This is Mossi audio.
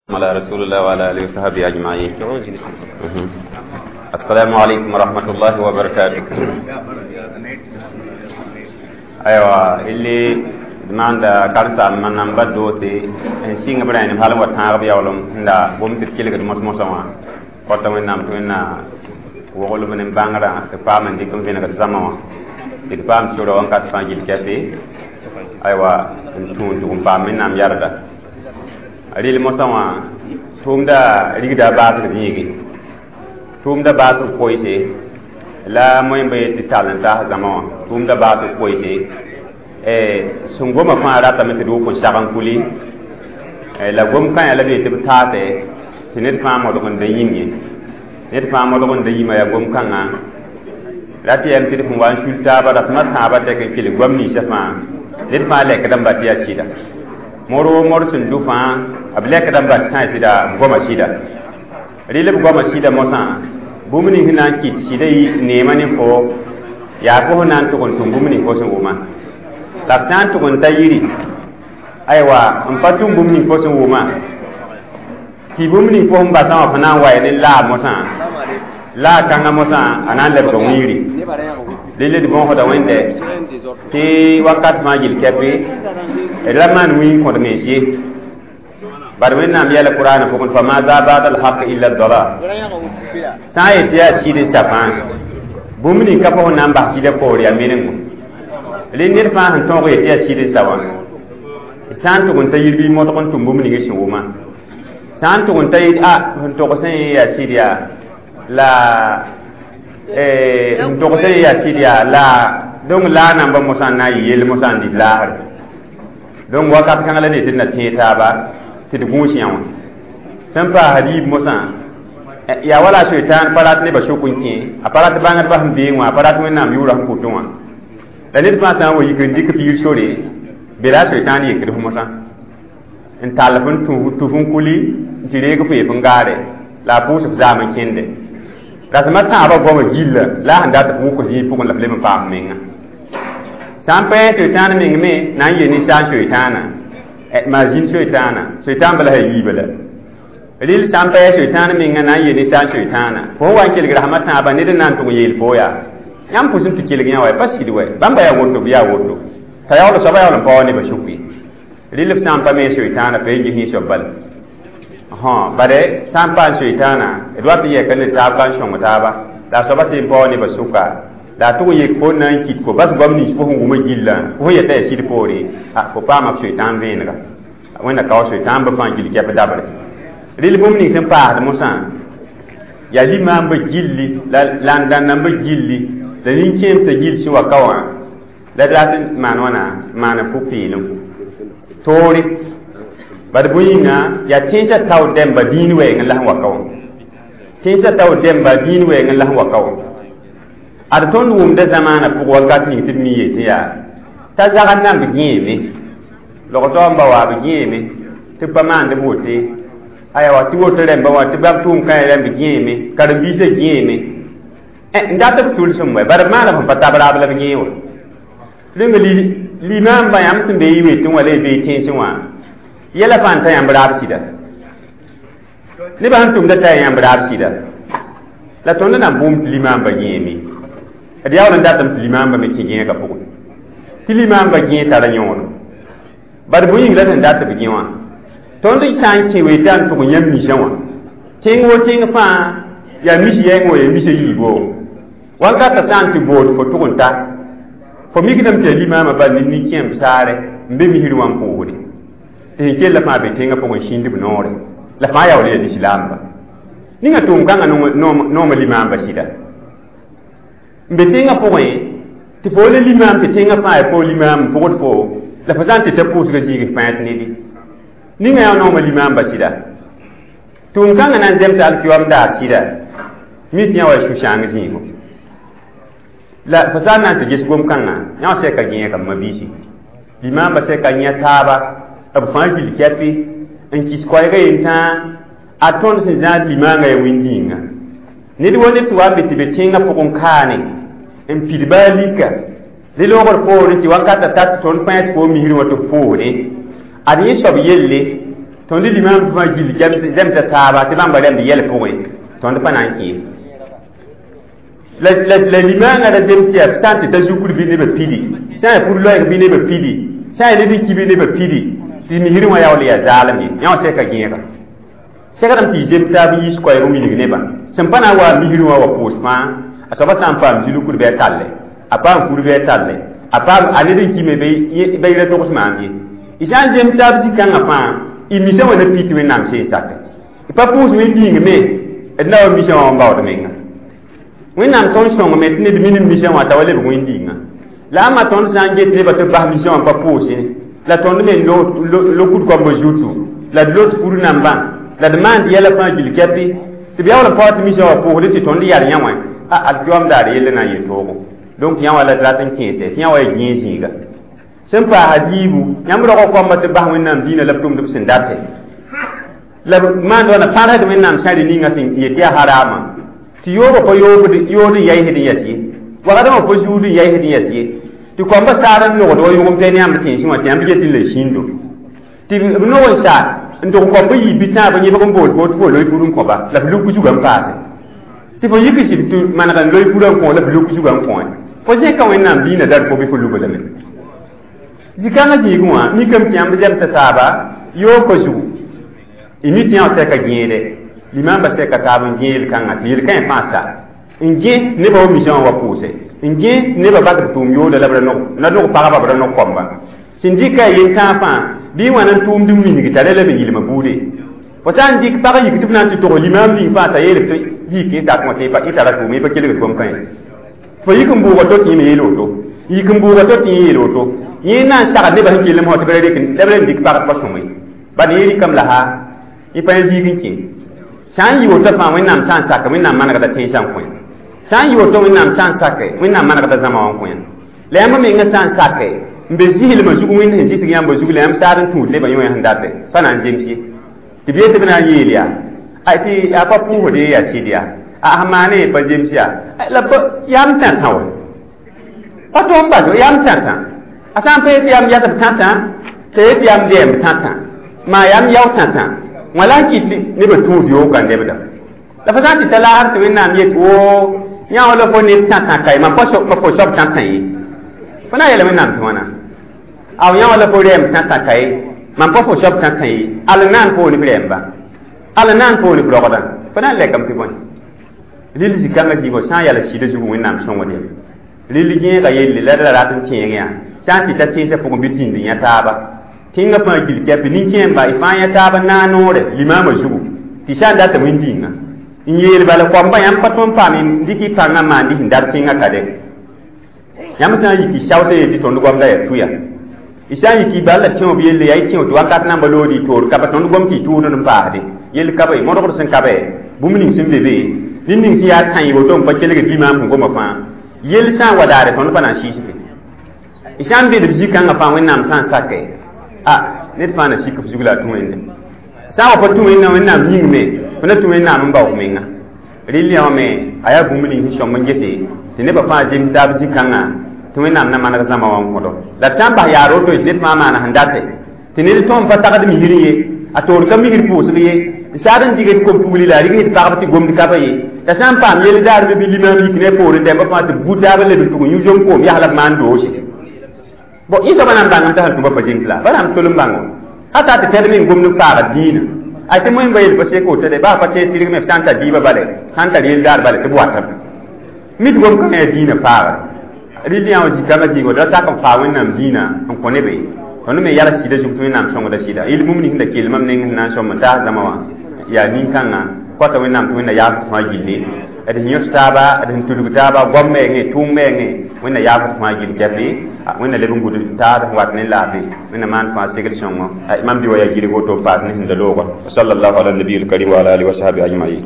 على رسول الله وعلى آله وصحبه أجمعين. السلام عليكم ورحمة الله وبركاته. أيوة اللي demanda karsa man nan ba doose n sɩng b rãenem hal n wa tãag b yaoolem n la gom tɩ d kelgd mos-mosã wã kɔta Wẽnnaam tɩ Wẽnna woglb ne bãngrã tɩ paam n dɩk n vẽnegd zãma wã tɩ d paam sora wãnkat fãa gill kɛpe aywa n tũud tʋg n paam Wẽnnaam yarda rɩl mosã wã tʋʋmda rigda baasg zĩigi tʋʋmda baasg koeese la moẽmba yet tɩ tall n taas zãma wã tʋʋmda baasg koeese sẽn goma fãa ratame tɩ d wʋk n sag n kuli la gom kãyã la be tɩ b taase tɩ ned fãa modg n da yĩm ye ned fãa modg n da yĩma yaa gom kãngã rat yɛm tɩ d sẽn wa n sul taaba rasmã tãabã tɛk n kelg goam ninsã fãa ned fãa lɛkd n ba tɩ yaa sɩda mor wo mor sẽn dʋ fãa b lɛkd n bat sã sɩda b goama sɩda rɩl b goama sɩda mosã bũmb ning sẽn na n kɩt sɩda neemã ne fo yaa fo sẽn na n tʋg n tʋm bũmb ning fo sẽn wʋma la b sã n tʋg n ta yiri aywa n pa tʋm bũmb ning fo sẽn wʋma tɩ bũmb ning fo sẽn basã wã fo na n wa ne laag mosã laag kãngã mosã a na n lebga wĩiri rɩl d bõosda Wẽnde tɩ wakat fãa gill kɛpe d ra maan wĩig kõd mens ye bad Wẽnnaam yɛla Kʋraanã pʋgẽ fa maa zaa baad alhaq illa dalal sã n yet tɩ yaa sɩd n sa fãa bũmb ning ka fo sẽn na n bas sɩdã poor yaa menengo rẽ ned fãa sẽn tõog yet tɩ yaa sɩd n sa wã sã n tʋg n ta yir bɩ modg n tʋm bũmb ning sẽn wʋma sã n tʋg n ta yit a sẽn togsẽ yaa sɩd yaa la n togsẽ yaa sɩd yaa la donc laa namba mosã n na n yɩ yell mosã n dɩt laasre donc wakat kãngã la ne tɩ d na tẽeg taaba tɩ d gũus yã wã sẽn paasd yiib mosã yaa wala a soitaan pa rat nebã sʋk n kẽ a pa rat bãngdbã sẽn beẽ wã a pa rat Wẽnnaam yʋʋrã sẽn pʋtẽ wã la ned fãa sã n wa yik n dɩk f yir sore be la a soitaan yekd f mosã n tall f n tʋf n kuli n tɩ reeg f yef n gaare la a pʋʋs f zaam n kẽnde rasmã tãabã goamã gilla la a sẽn dat f wʋk zĩig pʋgẽ la f leb n paam menga sã n pa yẽ soitaan meng me na n yel ninsaal soitaana maa zĩnd soitaana soitaan bala sã yiiba la rɩl sã n pa yẽ soitaan menga na n yel ninsaal soitaana fo sẽn wa n kelg rasmã tãabã ned n na n tʋg n yeel fo yaa yãmb pʋs n tɩ kelg yã wa pa sɩd wɛ bãmba yaa woto bɩ yaa woto t'a yaool soaba yaool n pa wa nebã sʋk ye rɩl f sã n pa me soitaana fa yen ges soab bala bare sã n paam soitaana d wat n yɛka ne taab ka n sõng taaba la a soaba sẽn pa wa nebã sʋka la a tʋg n yek fo na n kit fo bas goam nins fo sẽn wʋma gillã fo sẽn yeta yaa sɩd poore fo paama f soitaan vẽenega Wẽnna kao soitaan bã fãa gill kɛp dabre rɩl bũmb ning sẽn paasd mosã yaa limaambã gilli la landãndãmbã gilli la nin-kẽemsã gill sẽn wa ka wã la d rat n maan wãna maan pʋ-peelem toore bad bõe yĩnga yaa tẽnsã tao dẽmba dĩin wɛɛngẽ la sẽn wa ka wã tẽnsã tao dẽmba dĩin wɛɛngẽ la sẽn wa ka wã ad tõnd wʋmda zamaanã pʋg wakat ning tɩ d mi yetɩ yaa t'a zagr nan b gẽeme logtɔ n ba wa b gẽeme tɩ b pa maand b wote aya tɩ woto rẽmba wã tɩ bãmb tʋʋm kãe rẽmb gẽeme karen-biisã gẽeme n dat b tʋlsem wɛ bad b maana sẽn pa tab raab la b gẽe wã rẽnga limaambã yãmb sẽn be y wetẽ wã la y bee tẽnsẽ wã yɛla fãa n ta yãmb raab sɩda nebã sẽn tʋmda t'a yãmb raab sɩda la tõnd na n bʋʋm tɩ limaambã gẽeme d yaool n datame tɩ limaambã me kẽ gẽegã pʋgẽ tɩ limaambã gẽe tara yõod bad bõe yĩng la sẽn dat b gẽ wã tõnd sã n kẽ wetã n tʋg yãmb misã wã tẽng wo tẽng fãa yaa mis yɛng wã yaa misã yiibo wankatã sã n tɩ bood fo tʋg n ta fo mikdame tɩ yaa limaamã bal ne nin-kẽemb saare n be misr wã n pʋʋsde tɩ sẽn kell fãa be tẽngã pʋgẽ sĩnd b noore la fãa yaool yaa lislaamba ninga tʋʋm kãngã nooma limaamba sɩda n be tẽngã pʋgẽ tɩ fo la limaam tɩ tẽngã fãa yaa fo limaam n pʋgd fo la fo sã n tɩ ta pʋʋsga zĩig pãet nedi ninga yaa nooma limaamba sɩda tʋʋm kãngã na n zemsa alkiyoam daar sɩda mi tɩ yã wa sũ-sãang zĩigo la fo sã n na n tɩ ges gom-kãngã yã wã sɛka gẽega m mabiisi limaambã sɛka yã taaba b fãa gill kɛpɩ n kis koɛɛgã yentãa a tõnd sẽn zãad limaangã yaa wẽnd-dĩinga ned wa ned sẽn wa n be tɩ be tẽngã pʋgẽ kaane n pid baa lika rẽ loogr poorẽ tɩ wankatã tat tɩ tõnd pãe tɩ fo misrẽ wã tɩ f pʋʋsdẽ ad yẽ soab yelle Tõnd limam fãa gill zemsa taaba tɩ bãmba rɛmd yɛl pʋgẽ tõnd pa na n kẽe la limaangã ra zems tɩ yaa sã n tɩ ta zukur bɩ nebã pidi, sã n yaa pur loɛɛg bɩ nebã pidi, sã n yaa ned n ki bɩ nebã pidi, tɩ misrẽ wã yaool yaa zaalem ye. Yã wã sɛka gẽega segrame tɩ y zems taab n yiis koɛɛg n wilg nebã sẽn pa na n wa misrẽ wã wa pʋʋs fãa. A soaba sã n paam zĩ-lukur bɩ a talle, a paam fur bɩ a talle, a paam a ned n kime bɩ ra togs maam ye. Y sã n zems taab zĩ-kãngã fãa, y misã wã na pit Wẽnnaam seen sake y pa pʋʋs wẽn me d na wa misã wã n baood menga. Wẽnnaam tõnd sõngame tɩ ned minim misã wã t'a wa lebg wẽn-dĩngã la ãmba tõnd sã n get nebã tɩ b bas misã wã pa pʋʋsẽ la tõnd me lokud koambã zutu la d lot fur nambã la d maand yɛla fãa gill kɛpɩ tɩ b yaool n paoog tɩ misã wã pʋʋsdẽ tɩ tõnd yal yã wã a alkiyoam daar yell na n yel toogo. Donc yã wã la d rat n kẽese tɩ yã wa ya gẽe zĩiga sẽn paasa diibu yãmb rog koamba tɩ bas Wẽnnaam dĩinã la b tʋmd b sẽn date la b maand wãna pãrsd Wẽnnaam sãre ninga sẽn yet yaa haraamã tɩ yoobã pa yood n yaɩsd n yɛs ye, wagdmã pa zuud n yaɩsd n yɛs ye, tɩ koambã saar n nogd wa yʋgem tɩ ne yãmb tẽnsẽ wã tɩ yãmb get n la sĩndo tɩ b nog n sa n tʋg koambã yii bitãab n yẽbg n bool fo tɩ fo loe fur n kõba la f luk zugã n paase tɩ fo yik sɩd tɩ maneg n loe furã n kõ la f luk zugã n kõ fo zẽka Wẽnnaam dĩinã dar fo bɩ fo luga lame. Zĩ-kãngã zĩigẽ wã mikame tɩ yãmb zemsa taaba yoog ka zugu y mi tɩ yã tɛka gẽede limamba sɛka taab n gẽ yel-kãngã tɩ yel-kãe fãa sa n gẽ tɩ nebã wa misã wã wa pʋʋse n gẽ tɩ nebã bas b tʋʋm yooda la b ra nog na nog pagba b ra nog koamba sẽn dɩka a yen-tãag fãa bɩ n wãna n tʋʋmd n wilg t'a ra la me yɩlmã buude fo sã n dɩk pag yik tɩ f na n tɩ tog limaam ning fãa t'a yeel tɩ yik n sak wã tɩ y tara tʋʋm y pa kelgd gom-kãe fo yik n bʋʋga to tɩ yẽ me yeel woto, yik n bʋʋga to tɩ yẽ yeel woto, yẽ na n sagd nebã sẽn kell mosã tɩ b ra rek la b ra dɩk pagd pa sõme bad yẽ rɩkame la ha y pa yã ziig n kẽ sã n yɩ woto fãa Wẽnnaam sã n sak Wẽnnaam manegda tẽnsã n kõ sã n yɩ woto Wẽnnaam sã n sake Wẽnnaam manegda zãma wã n kõ la yãmb menga sã n sake n be zɩslmã zug Wẽnd sẽn zɩsg yãmba zug la yãmb saad n tũud nebã yõ sẽn date pa na n zems ye tɩ b yet tɩ b na n yeel yaa tɩ yaa pa pʋʋsd ye yaa sɩd yaa a sẽn maane ye pa zems yaa la yam tãtã wa pa tõnd bas yam tãtã a sã n pa yet yam yasb tãtã t'a yet yam dɛɛmb tãtã maa yam yao tãtã wã la n kɩt nebã tũud yoog n lebda la fo sã n tɩ ta laasr tɩ Wẽnnaam yet woo yã wã la fo neb tãtã kae mam pa fo soab tãtã ye fo na n yeela Wẽnnaam tɩ wãna aw yã wã la fo rɛɛm tãtã kae mam pa fo soab tãtã ye al n naan poor f rɛɛmba al n naan poor f rogdã fo na n lɛkame tɩ bõe rɩl zĩ-kãngã zĩigã sã n yaa la sɩdã zugu Wẽnnaam sõngd yam rɩl gẽega yelle la d ra rat n tẽeg yã sã n tɩ ta tẽnsã pʋgẽ bɩ zĩnd yã taaba tẽngã fãa gill kɛpɩ nin-kẽemba y fãa yã taab n naag noore limaamã zugu tɩ sã n data wẽn-dĩngã n yeel bala koamba yãmb pa tõnd paam n dɩk y pãngã maan dɩ sẽn dat tẽngã ka de yãmb sã n yik y saoosã yel tɩ tõnd goamda yaa tuya y sã n yik y bal la tẽo b yelle yaa y tẽo tɩ wakat namba lood y toor ka pa tõnd gom tɩ y tʋʋd n paasde yell ka be modgd sẽn ka be bũmb ning sẽn be be ned ning sẽn yaa tã woto n pa kelgd limaam sẽn goma fãa yell sã n wa daare tõnd pa na n sɩɩs fe y sã n bed b zĩ-kãngã fãa Wẽnnaam sã n sake a ned fãa na sik f zug la a tũ Wẽnde sã n wa pa tũ Wẽnnaam Wẽnnaam yĩng me fo na tũ Wẽnnaam n bao f menga rɩl yã wã me a yaa bũmb ning sẽn sõm n gese tɩ nebã fãa zems taab zĩ-kãngã tɩ Wẽnnaam na maneg zãma wã n kõdo la d sã n bas yaar woto tɩ ned fãa maana sẽn date tɩ ned tõem pa tagd misrẽ ye a toor ka misr pʋʋsg ye n saad n dɩgd kom-pugli la a rɩgs d pagb tɩ gomd ka pa ye t'a sã n paam yell daar me bɩ limaam yik ne poorẽ dɛmba fãa tɩ b bu taab n leb n tʋg n yũ zom koom yas la b maan doose bon yẽ soaba na n bãngame t'a sẽn tʋma pa zems la pa na n tol n bãngo hata tɩ tɛd me n gomd n faagd dĩinã ay tɩ moẽmba yel pa sek woto de baa pa tẽ tɩrg me f sã n tar dĩibã bale sã n tar yell daar bale tɩ b watame mit gom kãngã yaa dĩinã faagre rɩl yã wã zĩ-kãngã zĩigo da sak n faa Wẽnnaam dĩinã n kõ nebe tõnd me yala sɩda zug tɩ Wẽnnaam sõngda sɩda yel bũmb ning sẽn da kell mam neng sẽn na n sõm n taas zãma wã yaa nin-kãngã kõta Wẽnnaam tɩ Wẽnna yaaf tɩ fãa gilli d sẽn yõs taaba d sẽn tudg taaba goam meengẽ tʋʋm meengẽ Wẽnna yaaf tɩ fãa gill kɛpɩ Wẽnna leb n gud taad sẽn wat ne laafɩ Wẽnna maan fãa segl sõngo mam dɩ wa yaa gɩrg woto n paas ne sẽn da loogã. Sallallahu ala nabiyil karim wa ala alihi wa sahbihi ajmain.